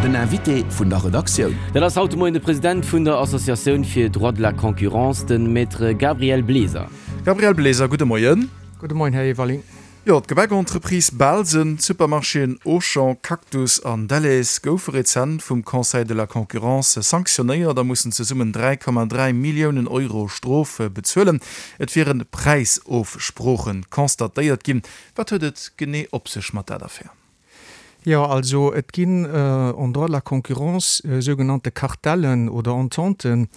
Den Invité vun der Redaktioun. Dat ass haut de Moien de President vun der Associatioun fir Droit de la Concurrence, de Maître Gabriel Bleser. Gabriel Bleser, gudde Moien. Gudde Moien, Här Everling. Jo, d'Gebäckentreprise Bahlsen, d'Supermarchéen Auchan, Cactus an Delhaize goufe rezent vum Conseil de la Concurrence sanktionéiert a mussen zesummen 3,3 Milliounen Euro Strof bezuelen. Et wiere Präisofsprooche constatéiert ginn. Wat huet et genee op sech mat dat Affär? Jo, also et ginn en droit de la concurrence sougenannte Kartellen oder Ententen,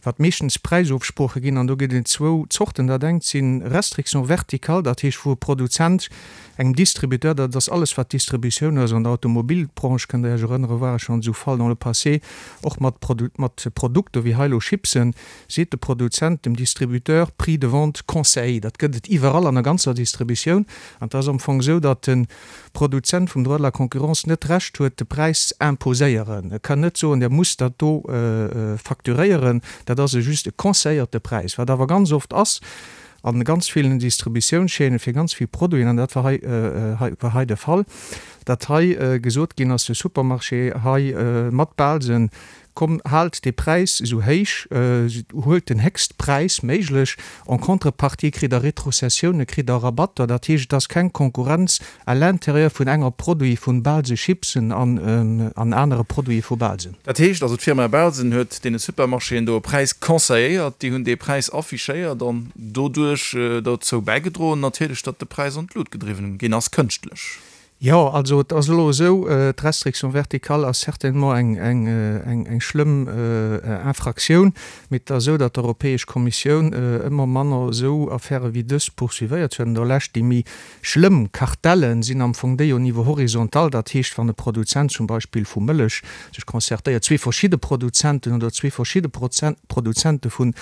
wat meeschtens Präisofsprooche ginn. An do gëtt et zwou Zorten. Dat engt si Restrictions verticales, dat heescht wou e Produzent engem Distributeur, dat ass alles wat Distributioun ass, an der Automobilbranche, kënnt Der Iech erënneren, war et schonn esou Fall dans le passé, och mat mat Produkter wéi hei elo Chipsen, seet de Produzent dem Distributeur Prix de vente conseillé. Dat gëtt et iwwerall an der ganzer Distributioun. An et ass am Fong esou, datt de Produzent vum Droit de la concurrence net d'Recht huet, de Präis z'imposéieren. E kann net soen, Der musst dat do facturéieren. Dat ass e just e conseilléierte Präis. Wat awer ganz oft ass a ganz villen Distributiounschaînen fir ganz vill Produiten, an dat war hei, war hei de Fall, datt hei gesot ginn ass, de Supermarché hei mat Balsen Komm, haalt dee Präis esou héich, huelt den héchst Präis méiglech, en contrepartie kritt Der Retrocessiounen, kritt Der Rabatter. Dat heescht, et ass keng Konkurrenz à l'intérieur vun enger Produit vun Balse Chipsen an anere Produite vu Balsen. Dat heescht also, d'Firma Balsen huet deene Supermarchéen do e Präis conseilléiert, déi hunn dee Präis affichéiert an doduerch dozou bäigedroen natierlech, datt de Präis an d'Lut gedriwwen ginn ass, kënschtlech. Jo, also et ass elo esou, d'Restriction verticale ass certainement eng schlëmm Infractioun, mee et ass esou, datt d'Europäesch Kommissioun ëmmer manner esou Affäre wéi dës poursuivéiert. An der Lescht déi méi schlëmm Kartelle sinn am Fong déi au niveau horizontal, dat heescht, wann e Produzent zum Beispill vu Mëllech sech concertéiert, zwee verschidde Produzenten oder zwee verschidde Produzente vun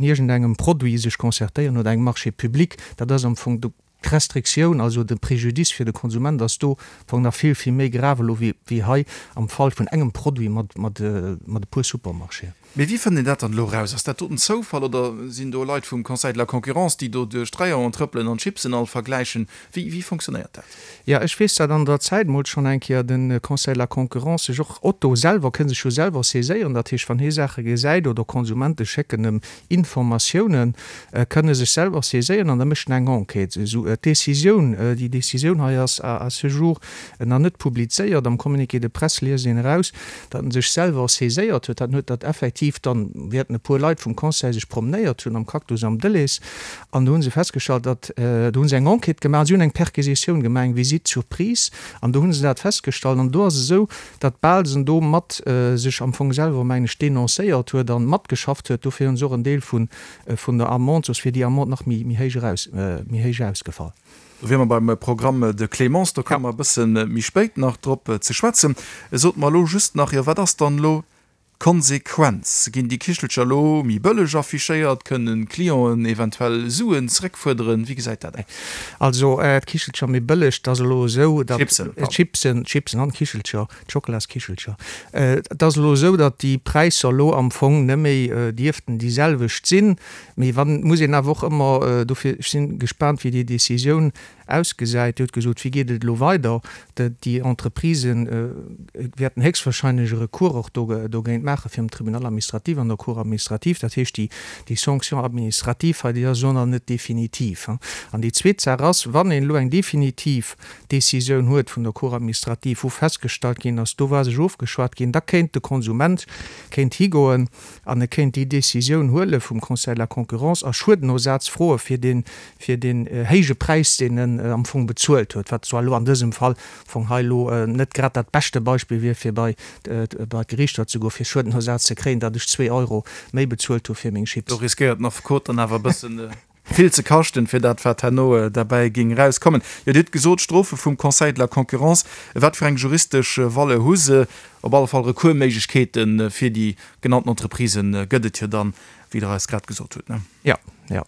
iergendengem Produit sech concertéieren oder engem Marché public, dat ass am Fong D'Restriktioun, also de Préjudice fir de Konsument ass do am Fong nach vill, vill méi grave elo wéi hei am Fall vun engem Produit mat, mat e puer Supermarchéen. Mee wéi fënnt een dat dann elo eraus? Ass dat doten Zoufall oder sinn do Leit vum Conseil de la Concurrence, déi do duerch d'Rayonen trëppelen an d'Chipsen all vergläichen? Wéi, wéi fonctionnéiert dat? Jo, ech weess, dat an der Zäit mol schonn eng Kéier de Conseil de la Concurrence sech och, Otto selwer kënn sech jo selwer saiséieren, dat heescht, wann hie Saache gesäit oder Konsumente schécken em Informatiounen, kënne sech selwer saiséieren an da mécht en eng Enquête. Esou d'Décisioun, déi Décisioun hei ass à ce jour nach net publizéiert. Am Communiqué de presse liest een eraus, datt en sech selwer saiséiert huet. Dat huet dat effektiv dann, wäerten e puer Leit vum Conseil sech promenéiert hunn am Cactus am Delhaize an do hu se festgestallt, datt, do hu se eng Enquête gemaach an si hunn eng Perquisitioun gemaach, eng Visite surprise an do hu se dat festgestallt. An do ass esou, datt Balsen do mat sech am Fong selwer, mengen ech, denoncéiert huet an matgeschafft huet. Dofir hunn se och en Deel vun vun der Amende, soss wier déi Amende nach méi méi héich eraus, méi héich ausgefall. Do wiere mer beim Programme de clémence, do komme mer e bësse méi spéit nach drop ze schwätzen. Sot mer elo just nach, jo wat ass dann elo d'Konsequenz? Ginn déi Kichelcher elo méi bëlleg affichéiert? Kënnen d'Clienten eventuell Suen zeréckfuerderen? Wéi gesäit dat aus? Also d'Kichelcher méi bëlleg, et ass elo esou, datt. D'Chipsen, pardon. D'Chipsen, d'Chipsen an d'Kichelcher. D'Schokolaskichelcher. Et ass elo esou, datt déi Präisser elo am Fong net méi dierften déi selwecht sinn. Mee wann, muss een awer och ëmmer, dofir, ech si gespaant, wéi déi Décisioun ausgesäit. Dir hutt gesot, wéi geet et elo weider? Déi Entreprisen wäerten héchstwahrscheinlech e Recours och dogéint maache virum Tribunal administratif an der Cour administrative. Dat heescht, déi Sanction administrative hei, déi ass elo nach net definitiv. An déi zweet Saach ass, wann een elo eng definitiv Décisioun huet vun der Cour administrative, wou festgestallt ginn ass, do war sech ofgeschwat ginn, da kéint de Konsument kéint higoen an e kéint déi Décisioun huele vum Conseil de la concurrence a Schuedenersaz froe fir dee fir deen héije Präis, deen en am Fong bezuelt huet, wat zwar elo an dësem Fall am Fong hei elo net grad dat beschte Beispill wier, fir bei bei d'Gerichter ze goen, fir Schuedenersaz ze kréien, datt ech zwee Euro méi bezuelt hu fir meng Chips. Do riskéiert den Affekot dann awer e bëssen Vill ze kaschten, fir dat wat herno derbäi géing erauskommen. Jo, Dir hutt gesot, Strofe vum Conseil de la Concurrence. Wat fir eng juristesch Valeur hu se? Op alle Fall Recoursméiglechkeete fir déi genannten Entreprisë gëtt et jo dann, wéi Der eis grad gesot hutt, ne? Jo, jo.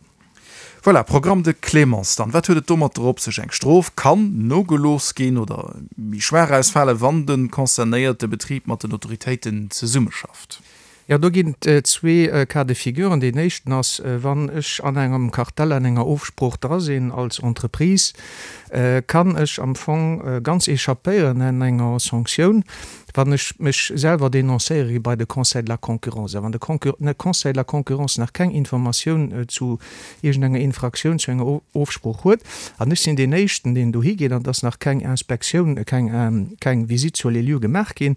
Voilà, Programme de clémence dann. Wat huet et domatter op sech? Eng Strof kann nogelooss ginn oder méi schwaach ausfalen, wann de concernéierte Betrib mat den Autoritéiten zesummeschafft. Jo, do ginn et zwee Cas de figuren. Deen éischten ass, wann ech an engem Kartell, an enger Ofsprooch dra sinn als Entreprise, kann ech am Fong ganz échappéieren an enger Sanktioun, wann ech mech selwer dénoncéiere gi bei de Conseil de la concurrence. A wann de Conseil de la concurrence nach keng Informatioun zu iergendenger Infraktioun, zu enger Ofsprooch huet, an ech sinn deen Éischten, deen dohi geet, an et ass nach keng Inspektioun, keng Visite sur les lieux gemaach ginn,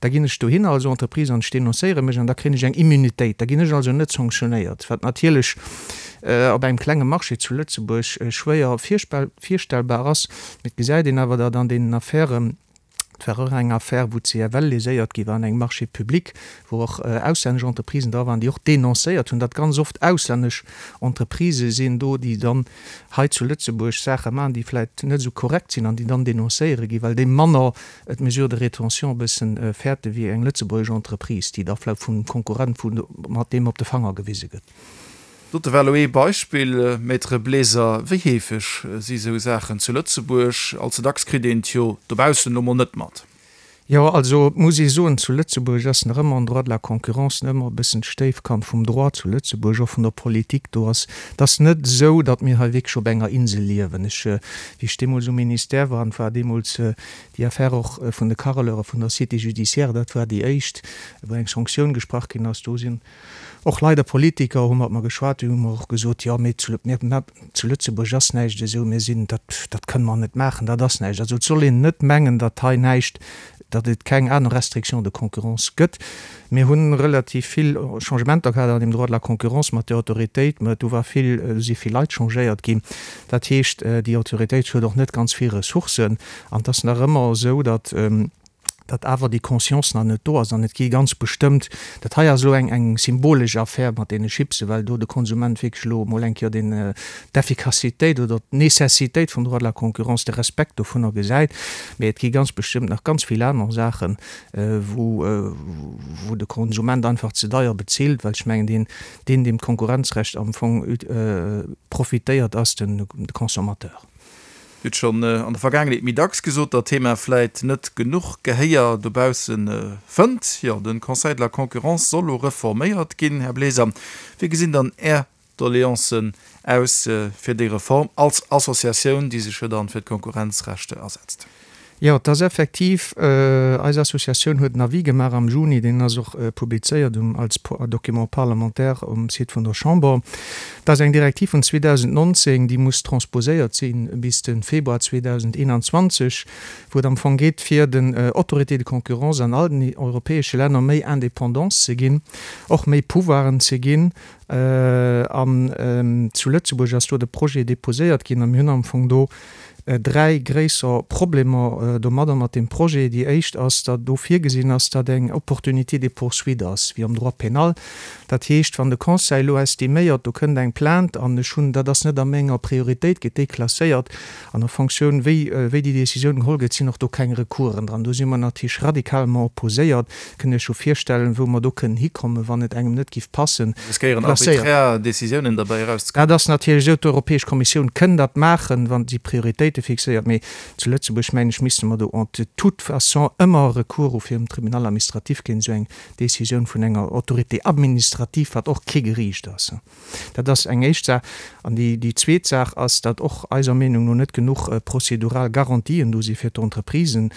Da ginn ech dohinner als Entreprise an ech denoncéiere mech an da kréien ech eng Immunitéit. Da ginn ech also net sanctionéiert, wat natierlech op engem klenge Marché zu Lëtzebuerg schwéier virstellbar ass. Mee et gesäit een awer, datt an deenen Affären, et war och eng Affär, wou d'CFL léséiert gi war an engem Marché public, wou och auslännesch Entreprisen dra waren, déi och denoncéiert hunn, datt ganz oft auslännesch Entreprisë sinn do, déi dann hei zu Lëtzebuerg Saache maachen, déi vläicht net esou korrekt sinn an déi dann denoncéiere ginn, well déi manner d'Mesures de rétention e bëssen fäerte wéi eng lëtzebuergesch Entreprise, déi da vläicht vum Konkurrent vu mat deem op de Fanger gewise gëtt. Dote war elo ee Beispill, Maître Bleser. Wéi heefeg si sou Saachen zu Lëtzebuerg? All ze dacks kritt een et jo dobaussen elo mol net mat. Jo, also et muss ee soen, zu Lëtzebuerg ass nach ëmmer en Droit de la concurrence nach ëmmer e bëssen d'Stéifkand vum Droit zu Lëtzebuerg, och vun der Politik. Do ass, et ass net esou, datt mir hei wierklech op enger Insel liewen. Ech, wéi ech deemools um Ministère war, an et war deemools Déi Affär och vun de Carreleure vun der Cité judiciaire, dat war déi éischt, wou eng Sanktioun gesprach ginn ass. Do sinn och leider Politiker, hu mat mer geschwat, déi hu mer och gesot, jo, mee zu, mir, zu Lëtzebuerg ass näischt esou, mir sinn, dat, dat kënne mer net maachen, dat ass näischt. Also et soll een net mengen, datt hei näischt, datt et keng aner Restriction de concurrence gëtt. Mir hu relativ vill Changementer gehat an deem Droit de la concurrence mat der Autoritéit, mä do war vill, do si vill Leit changéiert ginn. Dat heescht, déi Autoritéit huet och net ganz vill Ressourcen an et ass nach ëmmer esou, datt, datt awer déi Conscience nach net do ass an et gi ganz bestëmmt, dat hei ass elo eng, eng symbolesch Affär mat deene Chipsen, well do de Konsument wierklech elo emol eng Kéier den, d'Efficacitéit oder d'Nécessitéit vum Droit de la concurrence, de Respekt dovunner gesäit. Mä et gi ganz bestëmmt nach ganz vill aner Saachen, wou wou de Konsument einfach ze deier bezilt, well ech mengen, deen, deen deem d'Konkurrenzrecht am Fong profitéiert, ass den de Consommateur. Dir hutt schonn an der Vergaangenheet méi dacks gesot, datt d'Thema vläit net genuch Gehéier dobausse fënnt. Jo, de Conseil de la Concurrence soll elo reforméiert ginn. Här Bleser, wéi gesinn dann Är Doleancen aus fir déi Reform als Associatioun, déi sech jo dann fir d'Konkurrenzrechte asetzt. Jo, et ass effektiv, eis Associatioun huet en Avis gemaach am Juni, deen ass och publizéiert um als Document parlementaire um Site vun der Chamber. Et ass eng Direktiv vun 2019, déi muss transposéiert si bis de Februar 2021, wou et am Fong geet, fir den Autorités de concurrence an all den europäesche Länner méi Indépendance ze ginn, och méi Pouvoiren ze ginn, An zu Lëtzebuerg ass do de Projet déposéiert ginn a mir hunn am Fong do dräi gréisser Problemer domadder, mat deem Projet. Déi éischt ass, datt do virgesinn ass, datt eng Opportunité de poursuite ass, wéi am Droit pénal. Dat heescht, wann de Conseil elo estiméiert, do kënnt eng Plainte an ech hunn, dat ass net a menger Prioritéit, gëtt déi klasséiert. An a Fonctioun, wéi, wéi déi Décisioun geholl gëtt, sinn och do keng Recoursen dran. Do si mer natierlech radikalement opposéiert. Kënnt Iech jo virstellen, wou mer do kënnen hikommen, wann et engem net giff passen. Riskéieren arbiträr Décisiounen derbäi erauszekommen. Dat ass natierlech esou. D'Europäesch Kommissioun kënn dat maachen, wa si Prioritéite fixéiert. Mee zu Lëtzebuerg, mengen ech, misste mer do en de toute façon ëmmer Recours hu virum Tribunal administratif géint esou eng Décisioun vun enger Autorité administrative, wat och kee Geriicht ass. Dat ass eng éischt Saach. An déi zweet Saach ass, datt och eiser Meenung no net genuch prozedural Garantien do si fir d'Entreprisen.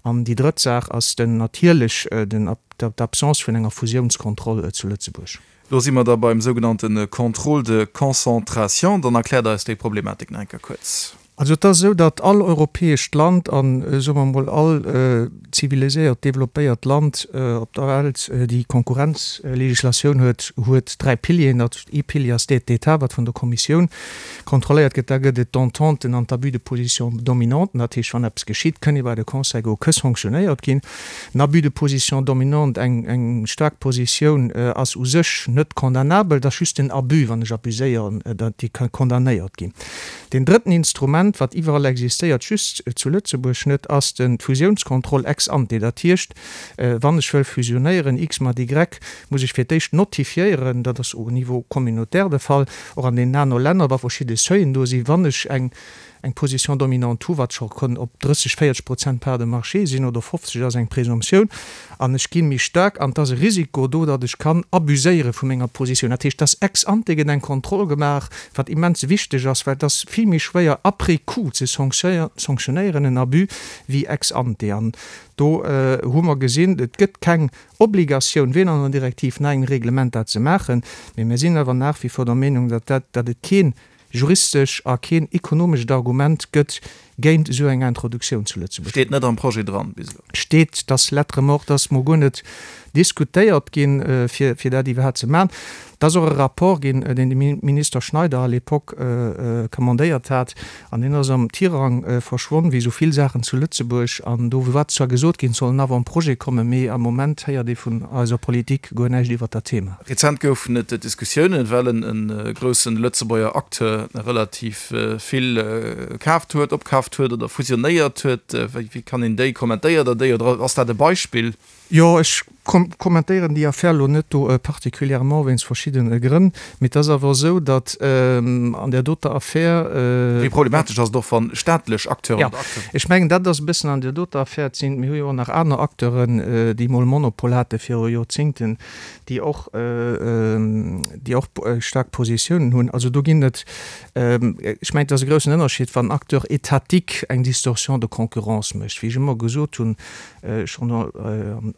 An déi drëtt Saach ass den natierlech d'Absence vun enger Fusiounskontroll zu Lëtzebuerg. Do si mer da beim sougenannte Contrôle de concentration. Dann erkläert eis déi Problematik nach eng Kéier kuerz. Also et ass esou, datt all europäescht Land an, soe mer emol, all ziviliséiert, développéiert Land op der Welt, déi Konkurrenzlegislatioun huet, huet dräi Pilieren. Dat ee Pilier ass d'Aide d'État, wat vun der Kommissioun kontrolléiert gëtt. Da gëtt et d'Ententen an d'Abus de position dominante. Dat heescht, wann eppes geschitt, kënn ee bei de Conseil goen, këss sanktionéiert ginn. En Abus de position dominante, eng eng staark Positioun, ass u sech net condamnabel, et ass just den Abus, wann ech abuséieren, datt déi ka condamnéiert ginn. Deen drëtten Instrument, wat iwwerall existéiert, just zu Lëtzebuerg net, ass den d'Fusiounskontroll ex ante. Dat heescht, wann ech wëll fusionéieren, X mat Y, muss ech fir d'éischt notifiéieren, dat ass au niveau communautaire de Fall, och an deenen aner Länner, wa verschidde Seuilen do sinn, wann ech eng. eng Position dominante hu, wat scho kann op 30, 40 Prozent Part de marché sinn, oder 50 ass eng Présomptioun, an ech gi méi staark an et ass e Risiko do, datt ech kann abuséiere vu menger Positioun. Dat heescht, dass ex ante gëtt eng Kontroll gemaach, wat immens wichteg ass, well et ass vill méi schwéier après coup ze sanctionéieren en Abus wéi ex ante. An do hu mer gesinn, et gëtt keng Obligatioun, weder an der Direktiv nach engem Reglement dat ze maachen, mee mir sinn awer nach wie vor der Meenung, datt dat, datt et keen juristesch a keen ekonomescht Argument gëtt géint esou eng Introduktioun zu Lëtzebuerg. Steet net am Projet dran bis elo. Steet, dass lettre morte ass, mol guer net diskutéiert ginn, fir, fir dat iwwerhaapt ze maachen. Et ass och e Rapport ginn, deen de Minister Schneider à l'époque commandéiert hat, an deen ass am Tirang verschwonn, wéi esou vill Saachen zu Lëtzebuerg. An do war zwar gesot ginn, et soll en Avant-projet kommen, mee am Moment héiert ee vun eiser Politik guer näischt iwwert dat Thema. Rezent goufen et Diskussiounen, well en groussen Lëtzebuerger Acteur relativ vill kaaft huet, opkaaft huet oder fusionéiert huet. Wéi kann een déi kommentéiert Der déi oder ass dat e Beispill? Jo, ech kommentéieren déi Affär elo net do particulièrement wéinst verschiddene Grënn, mee et ass awer esou, datt an där doter Affär. Wéi problematesch ass et och, wa staatlech Acteuren oder Acteuren. Jo, ech mengen, dat ass e bëssen an där doter Affär. Et sinn, mir hu jo och nach aner Acteuren, déi mol Monopol hate viru Joerzingten, déi och, déi och staark Positiounen hunn. Also do ginn et, ech mengen, et ass e groussen Ënnerscheed, wann en Acteur étatique eng Distorsion de concurrence mécht. Wéi ech ëmmer gesot hunn, schonn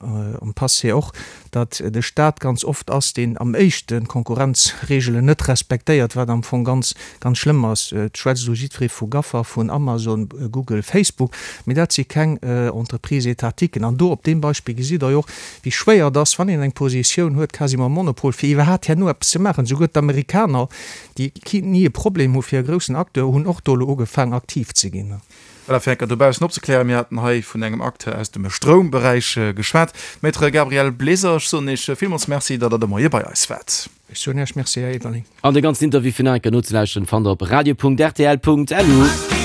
am Passé och, datt de Stat ganz oft ass, deen am éischten d'Konkurrenzregelen net respektéiert, wat am Fong ganz, ganz schlëmm ass. Et schwätzt elo jiddweree vu Gaffa, vun Amazon, Google, Facebook, mee dat si keng Entreprises étatiquen. An do op deem Beispill gesitt Der jo och, wéi schwéier et ass, wann een eng Positioun huet, quasiment Monopol, fir iwwerhaapt herno eppes ze maachen. Souguer d'Amerikaner, déi ni e Problem hu fir e groussen Acteur, hunn och do elo ugefaang aktiv ze ginn. Voilà, fir enker dobaussen opzeklären, mir haten hei vun engem Acteur aus dem Stroumberäich geschwat. Maître Gabriel Bleser, ech soen Iech villmools Merci, datt Der de Moie bei eis waart. Ech soen Iech Merci, Här Everling. An de ganzen Interview fir nach eng Kéier nozelauschteren fannt der op radio.rtl.lu.